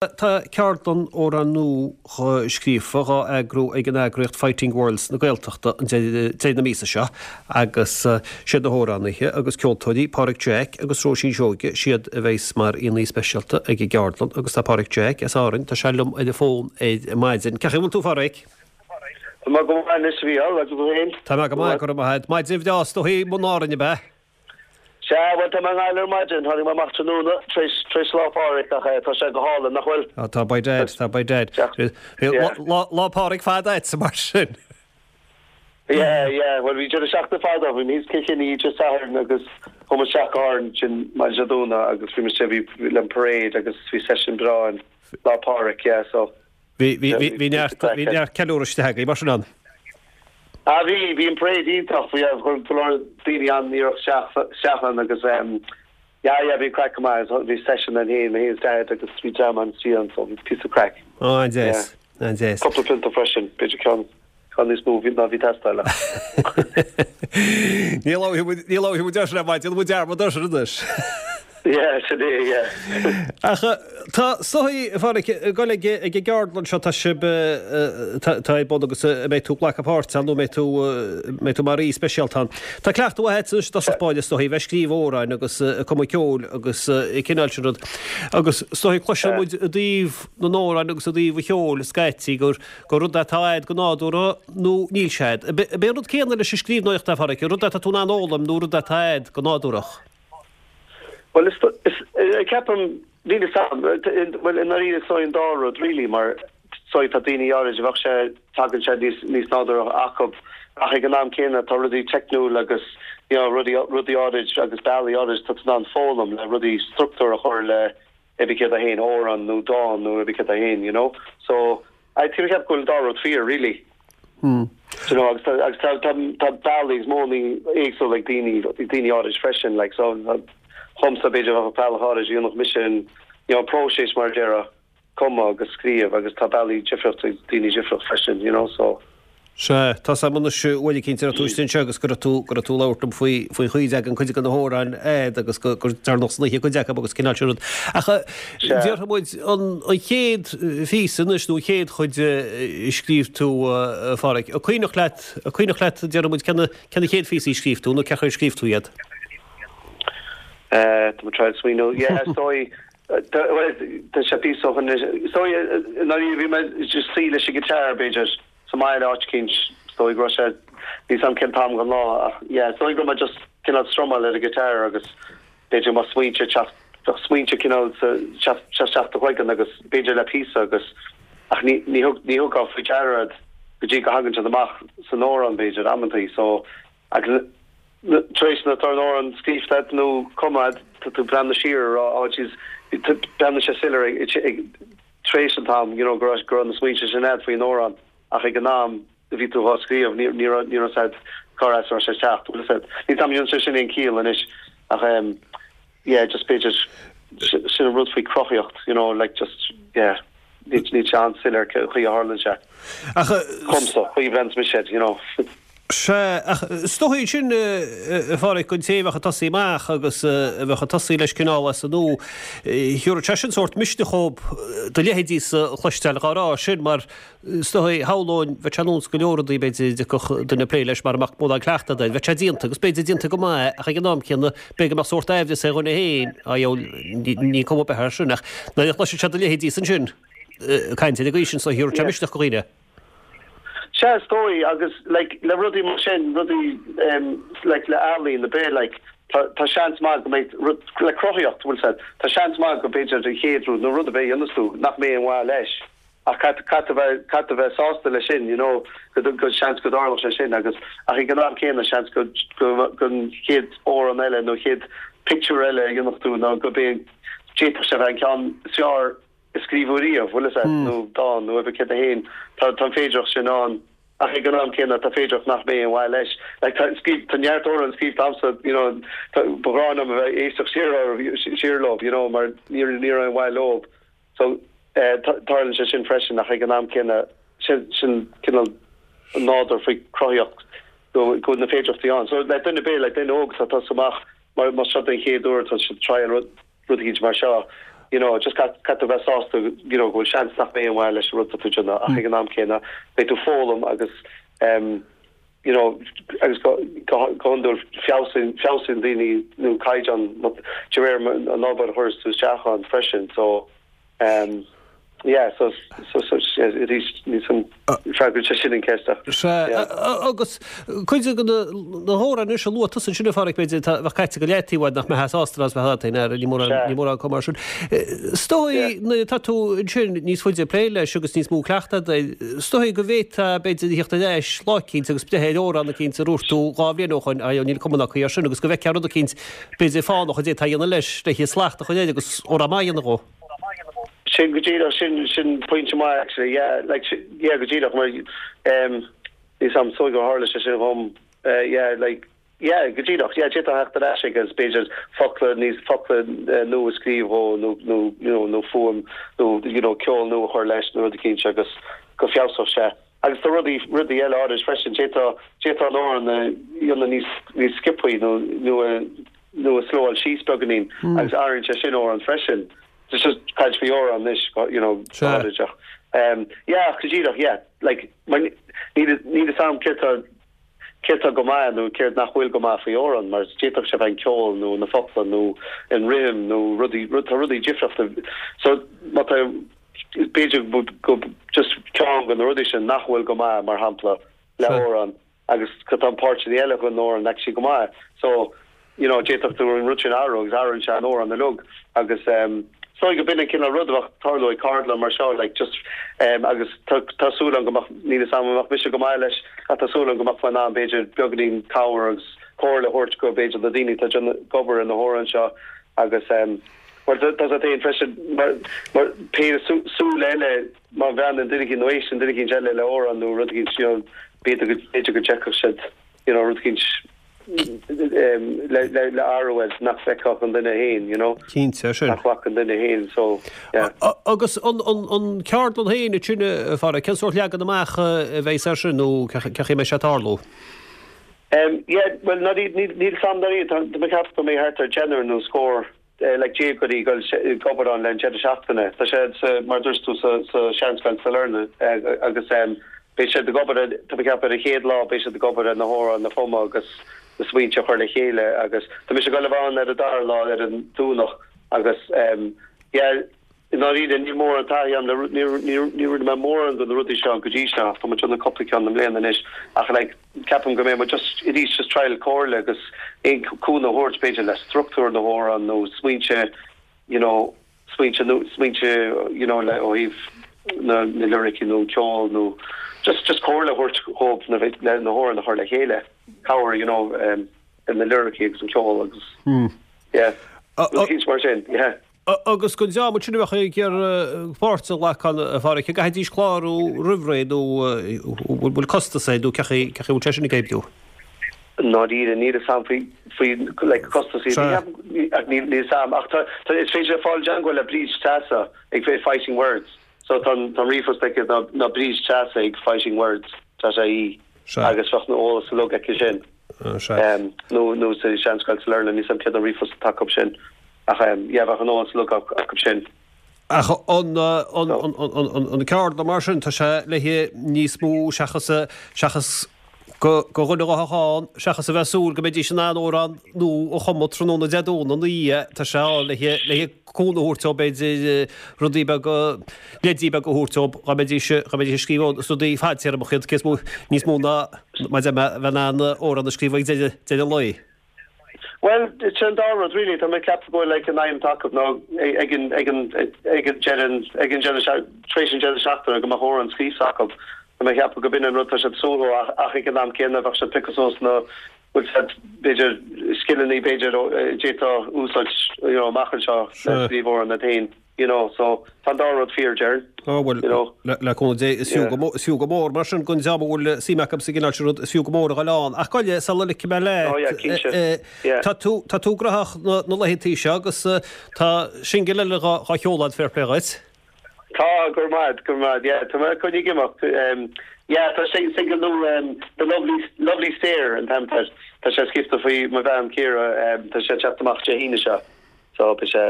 Tá ceardlann Amhrán Nua Scríofa dhá eagrú ag an eagraíocht Fighting Words na Gaeltachta an deireadh na míosa seo agus siad na hamhránaithe agus ceoltóirí Páraic Jack agus Róisín Seoige siad a bheas mar aíonna speisialta ag an gceardlann agus tá Páraic Jack as Árainn, tá sé liom ar an bhfón ar maidin. Cén chaoi a bhfuil tú a Pháraic? Tá mé go maith anois a Mhícheál, agus tú féin? Tá mé go maith, go raibh maith agat. Maidin bhreá is dóigh i mbun Árainn ab ea? Sea, bhuel, tá mé i nGaillimh ar maidin. Tháinig mé amach tráthnóna tar éis, tar éis Lá Phádraig ach eh, tá sé go hálainn, nach bhfuil? Á, tá by dad, tá by dad. Bhí lá, Lá Phádraig fada agatsa mar sin. Yeah, yeah, bhuel bhí deireadh seachtaine fada, bhí mé thíos Cill Chainnigh oíche Sathairn agus chuaigh muid isteach go hÁrainn ansin maidin Dé Domhnaigh agus bhí muid istigh, bhí le an parade agus bhí session breá ann Lá Phádraig, yeah, so. Bhí, bhí, bhí, bhí neart, bhí neart ceiliúradh istigh agaibh mar sin ann. Ah bhí, bhí an parade iontach, bhí, chuir go leor daoine an-iarracht isteach, isteach ann agus ehm yeah, yeah bhí an craic go maith, bhí session ann féin, mé féin is Daid agus bhí dream ann istigh ann so bhí píosa craic. Ah an-deas, an-deas. Cúpla pionta freisin, b'fhéidir ceann. Tá níos mó ná bhí teastáil ach. Ní labharfaidh muid, ní labharfaidh muid air sin ar maidin, déanfaidh muid dearmad air sin anois. Yeah, sin é, yeah. Ach tá is dóigh, a Pháraic, ag dul ag an gceardlann seo, tá sibh, tá ar bun agus a mbeidh tú ag glacadh páirt ann nó mbeidh tú, mbeidh tú mar aoi speisialta ann. Tá cleachtadh mhaith agat anois i dtosach báire is dóigh, bheith ag scríobh amhráin agus ag cumadh ceoil agus an cineál sin rud. Agus is dóigh cloiseann muid i dtaobh na n-amhrán agus i dtaobh an cheoil scaití gur gur rud é atá a'd go nádúrtha nó níl sé a'd. Ab é an rud céanna leis an scríbhneoireacht a Pháraic, rud é atá tú in ann a fhoghlaim nó rud é atá a'd go nádúrach? Bhuel, is, is, ceapaim, níl fhios a'm, bhuel, i ndáiríre is dóigh an dá rud really mar is dóigh tá daoine áirid a bheadh sé, tagann sé níos, níos nádúrtha acu ach ag an am céanna tá rudaí teicniúil agus you know rudaí, rudaí áirid agus bealaí áirid tá tú in ann foghlaim le rudaí structúr a chur le pé ar bith céard é féin, amhrán nó dán nó pé ar bith céard é féin, you know. So, I think ceapaim go bhfuil an dá rud fíor, really. Hmm. You know, agus tá, agus tá, tá, tá bealaí agus modhanna éagsúla ag daoine, ag daoine áirid freisin, like, so, dhomsa b'fhéidir bheadh bealach áirid a dhéanfadh mise an, you know, próiseas mar a déarfá, cumadh agus scríobh agus tá bealaí difriúla ag daoine difriúla freisin, you know, so. Sea, tá 's a'm anois uair eicínt a raibh tú istigh anseo agus go raibh tú, go raibh tú ag labhairt liom faoi, faoin chaoi a dtagann cuid de na hamhráin a'd agus go, gur deireanach san oíche cuid acu agus cineál sin rud. Ach Sea. déarfaidh muid an, an chéad phíosa anois nó an chéad chuid a scríobh tú, a Pháraic, an cuimhneach leat, an cuimhneach leat déarfaidh muid cé na, cé na chéad phíosaí a scríobh tú nó cén chaoi ar scríobh tú iad? Eh, tá mé ag triail smaoineamh. Yeah, is dóigh, bhuel, tá sé píosa ó shin anois. Is dóigh, i ndáiríre bhí mé just suí leis an guitar b'fhéidir. sa mbaile áit eicínt, is dóigh go raibh sé, níl 's a'm cén t-am den lá ach yeah, is dóigh go raibh mé just cineál strumáil ar an guitar agus b'fhéidir go mbeadh smaointe ag teacht, bheadh smaointe cineál sa, teacht isteach do chloigeann agus b'fhéidir le píosa agus ach ní, ní thug, ní thugfá faoi deara iad go dtí go thagann siad amach san amhrán b'fhéidir, amantaí so agus tar éis na, tá an amhrán scríofa agat nó cumtha agat, tá tú ag breathnú siar a rá oh jeez, breathnaíonn sé soiléir ag, ag, tar éis an t-am, you know, go raibh, go raibh na smaointe sin a'd faoin amhrán ach ag an am a bhí tú dhá scríobh ní, ní raibh, ní raibh 's a'd cár as a raibh sé ag teacht, bhfuil 'fhios a'd. Níl 's a'm an ndéanann sé sin aon ciall anois ach em yeah just b'fhéidir sin an rud faoi cruthaíocht, you know, like just yeah níl, níl sé an-soiléir cén chaoi a tharlann sé. Ach eh. Dhomsa, chaoi a bhreathnaíonns mise air, you know. Sea, ach is dóigh sin, a Pháraic, don té a bheadh ag tosaí amach agus a bheadh ag tosaí leis cineál as an nua, thabharfadh sé sin sórt misneach dhób do leithéidísa a chloisteáil dhá rá sin, mar is dóigh, shamhlóinn, bheadh sé ar nós go leor rudaí, b'fhéidir, a dtiocfadh duine ag plé leis mara mbeadh mórán cleachtadh air, bheadh sé déanta, agus b'fhéidir déanta go maith, ach ag an am céanna, b'fhéidir go mbeadh sórt aimhleas ar dhuine féin, á dheabhail, ní cuma ar bith air sin, ach nuair a chloiseann sé do leithéidísa ansin ag caint ar an gcaoi sin, so thabharfadh sé misneach do dhaoine. Sea, is dóigh, agus like le rudaí mar sin, rudaí em like le ealaín ar bith like tá tá seans maith go mbeidh rud le cruthaíocht, bhfuil 's a'd, tá seans maith go b'fhéidir an chéad rud nó rud ar bith a dhéanas tú nach mbeidh aon mhaith leis ach caithfidh caithfidh tú bheith caithfidh tú bheith sásta leis sin you know go go seans go dtarlódh sé sin agus ach ag an am céanna seans go go go an chéad amhrán eile nó chéad pictiúr eile a dhéanfadh tú nó go b'é d'fhéadfadh sé bheith an ceann is fearr a scríobhadh riamh, bhfuil 'fhios a'd, nó dán, nó pé ar bith céard é féin, tá tá an féidireacht sin ann, ach ag an am céanna tá féidireacht nach mbeidh aon mhaith leis. Like tá scríobh, tá neart amhrán scríobhta a'msa, you know, tá, ba ghrá liom a bheith ag éisteacht siar orthu, siar leo, you know, mar ní ní raibh aon mhaith leo. So, eh, tarlaíonn sé sin freisin ach ag an am céanna, sin sin cineál an nádúr faoi cruthaíocht go go bhfuil na féidireachtaí ann. So le duine ar bith, le duine óg atá ag tosú amach, mar más seo den chéad uair atá siad ag triail rud, rud eicínt mar seo. You know, just caithfidh tú bheith sásta, you know, go bhfuil seans nach mbeidh aon mhaith leis an rud atá tú ag déanamh ach ag an am céanna beidh tú ag foghlaim agus em you know, agus go go go hiondúil feabhsaíonn feabhsaíonn daoine nó caighdeán de réir an obair a chuireas tú isteach ann freisin so em yeah so so so arís níl san freagraíonn sé sin an ceist ach Sea, yeah. agus cuid de na hamhráin anois a luaigh tusa ansin a Pháraic b'fhéidir atá a bheadh caite go leataobh uait nach mbeifeá sásta leo is bheadh ort ní mórán Sea. ní mórán acu mar sin. Is dóigh Yeah. nuair atá tú ansin níos faide ag plé leis agus níos mó cleachtadh agat is dóigh go bhféadfá b'fhéidir a theacht ar ais lá eicínt agus breith ar amhrán eicínt a dhúirt tú 2 bhliain ó shoin, ayo níl cuma ná caoi air sin agus go bhfeicfeá rud eicínt b'fhéidir fánach a d'fhéadfá a dhéanamh leis le slacht a chur air agus amhrán maith a dhéanamh dhó. Sin go díreach, sin, sin pointe maith actually, yeah, like, yeah, go díreach mar, em, níl 's a'm, is dóigh gur tharla sé sin dhom, eh, yeah, like, yeah, go díreach, yeah, d'fhéadfá theacht ar ais agus b'fhéidir focla níos, focla nua a scríobh dhó nó, nó, you know, nó fuaim nó, you know, ceol nua a chur leis nó rud eicínt agus go feabhsódh sé. Agus tá rudaí, rudaí eile áirid freisin, d'fhéadfá, d'fhéadfá an amhrán a dhéanamh níos, níos sciobthaí nó, nó a, nó a slowáil síos beagáinín agus athraíonn sé sin amhrán freisin. Just just caint faoi amhrán anois, you know, Sea. áirid ach, um, yeah, ach go díreach, yeah, like, mar níl, níl 'fhios a'm céard tá, céard tá go maith nó céard nach bhfuil go maith faoi amhrán mar d'fhéadfadh sé bheith an ceol nó na focla nó an rithim nó rudaí, rud, tá rudaí difriúla. So, má tá, b'fhéidir go just ceann de na rudaí sin nach bhfuil go maith, mar shampla, le amhrán agus go tá an páirteanna eile den amhrán actually go maith. So, you know, d'fhéadfadh tú an rud sin a athrú agus athraíonn sé an amhrán uilig agus um, is dóigh go b'in an cineál rud a bheadh ag tarlú ag ceardlann mar seo, like just um, agus tá, tá súil agam go mbeadh, níl 'fhios a'm an mbeadh mise go maith leis ach tá súil agam go mbeadh mé in ann b'fhéidir beagáinín cabhair agus comhairle a thabhairt go b'fhéidir na daoine atá ag déanamh ag obair ar na hamhráin seo agus um, Mar tá sé féin freisin, mar pé súil eile, má bhreathnaíonn duine éicint nó éisteann duine éicint eile le amhrán nó rud éicint, you know, b'fhéidir go, b'fhéidir go dteicfeadh siad, you know, rud éicint le, le, le athrú air nach bhfeicfeadh an duine féin, you know. Cinnte, sin. Nach bhfaca an duine féin, so, yeah. Agus an, an, an ceardlann féin ansin, a Pháraic, cén sórt leagan amach a bheidh air sin nó cén chaoi a mbeidh sé ag tarlú? Em, yeah, bhuel, ná níl, níl, níl 'fhios a'm dáiríre, tá, tá mé ag ceapadh go mbeidh thart ar deichniúr nó scór, eh, like déagóirí ag dul ag obair ann le an deireadh seachtaine. Tá sé sa, mar a dúirt tú, sa, sa Seanscoil Sailearna, eh, agus, em, beidh siad ag obair ar, tá mé ag ceapadh ar an chéad lá beidh siad ag obair ar na hamhráin a chumadh agus na smaointe a chur le chéile agus tá mise ag dul a bheith ann ar an dara lá, ar an Domhnach agus, em, yeah, I ndáiríre, níl mórán taithí agam le, ní rinne mé mórán de na rudaí seo go dtí seo ach tá muid ag déanamh cúpla ceann i mbliana anois ach like ceapaim go mbeidh muid just arís just trial comhairle agus aon cúnamh a thabhairt b'fhéidir le struchtúr na hamhrán nó smaointe you know smaointe nó smaointe you know le ó thaobh na na liricí nó an ceol nó just just comhairle a thabhairt dhóibh na le na hamhráin a chur le chéile cabhair you know um, ar na liricí agus an ceol agus yeah rud éicint mar sin yeah. Agus don dream ansin a bheadh ag iarraidh páirt a ghlacadh ann, a Pháraic, an gcaithfidís clárú roimh ré nó an bhfuil costas air nó cén chaoi a bhfuil sé sin ag oibriú? I ndáiríre, níl a fhios a'm faoi, faoi like costasaí Sea. ach níl a fhios a'm ach tá, tá, is féidir le fáil i dteangmháil le Bríd Treasa ag Fighting Words so tá an, tá an ríomhphost aici ná, ná Bríd Treasa ag Fighting Words dot ie Sea. agus bheadh an eolas uilig aici sin. Sea. Nó, nó sa Seanscoil Sailearna, níl a fhios a'm céard an ríomhphost atá acu sin. Ach yeah, bheadh an eolas uilig acu sin. Ach an an ceardlann mar sin, tá sé le níos mó seachas seachas go go dhuine a bheadh ann, seachas a bheith ag súil go mbeidís in ann amhrán nua a chumadh tráthnóna Dé Domhnaigh ina dhiaidh, tá sé ann le le cúnamh a thabhairt dóibh b'fhéidir rudaí beaga, leidí beaga a thabhairt dóibh dá mbeidís dá mbeidís ag scríobh is rudaí fadtéarmacha iad cé is mó níos mó ná mar a bheith in ann amhrán a scríobh ag deireadh deireadh an lae. Bhuel, sin an dá rud really. Tá mé ag ceapadh go bhfuil like an aidhm atá acu ná ag an ag an ag an deireadh ag an deireadh tar éis an deireadh seachtaine go mbeadh amhrán scríofa acu. Tá mé ag ceapadh go b'in an rud tá siad ag súil leo ach ach ag an am céanna bheadh siad ag piocadh suas na bhfuil siad b'fhéidir scileanna b'fhéidir a d'fhéadfá úsáid you know amach anseo le scríobh amhrán iad féin. You know, so tá an dá rud fíor, déarfainn. Á bhuel, You know. le, le cúnamh Dé, is fiú Yeah. go mó, is fiú go mór mar sin don dream a bhfuil suim acu sa gcineál sin rud, is fiú go mór a dhul ann. Ach gabh i leith, sula ligfidh mé leat, Oh yeah, cinnte. eh, eh, Yeah. tá tú, tá tú graitheach na, na laethantaí seo agus eh, tá singil eile dhá, dhá sheoladh agat, fair play dhuit. Tá, go raibh maith, go raibh maith, yeah, tá mé coinnithe ag imeacht. Um, yeah, tá sing, single nua, um, The Lovely, Lovely Stare an t-ainm air. Tá sé scríofa faoi mo bhean Ciara, um, tá sé ag teacht amach Dé hAoine seo. So beidh sé,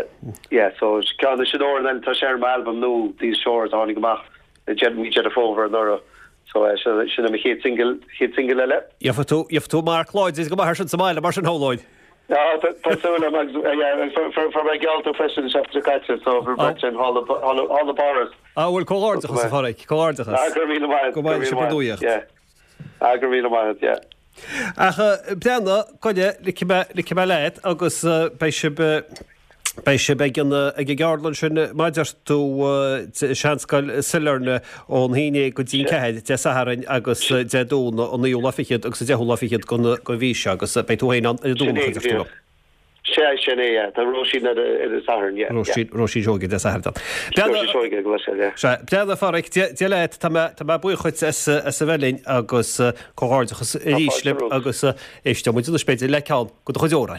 yeah, so ceann sin amhrán eile, tá sé ar m'albam nua, These Shores, a tháinig amach i mí Deireadh Fómhair anuraidh. So sin, sin é mo chéad single, chéad single eile. Gheobhaidh tú, gheobhaidh tú marc láidir go maith air sin sa mbaile mar sin, shamhlóinn. Ah, tá, tá súil agam agus, yeah, agus fuair, fuair, fuair mé geallta freisin an seachtain seo caite, so fuair mé sin thall, thall, thall i bPáras. Ah, bhuel, comhghairdeachas a Phádraic, comhghairdeachas. Ah, go raibh míle maith agat, Go maith go sibh raibh ar míle maith agat, nuaíocht. yeah. Ah, go raibh míle maith agat, yeah. Ach breathnaigh, goile, ligfidh mé, ligfidh mé leat agus beidh sibh, beidh sibh ag an, ag an gceardlann sin mar a deir tú, i Seanscoil Sailearna ón haon déag go dtí an ceathair, Dé Sathairn agus Dé Domhnaigh an naoú lá fichead agus an deichiú lá fichead den, den mhí seo agus beidh tú féin ann ar an Sin Domhnach é a go deir tú díreach. liom. Sea, sin é, yeah. Tá Róisín ar an Satharn, yeah, yeah. Róisín, Róisín Seoige Dé Sathairn ann. Róisín Seoige, go bhfuil sé, yeah. Sea, breathnaigh a Pháraic, Dia, Dia leat, tá mé, tá mé buíoch dhuit as, as a bheith linn agus comhghairdeachas arís libh agus éisteoidh muid anois b'fhéidir le ceann de do chuid amhráin.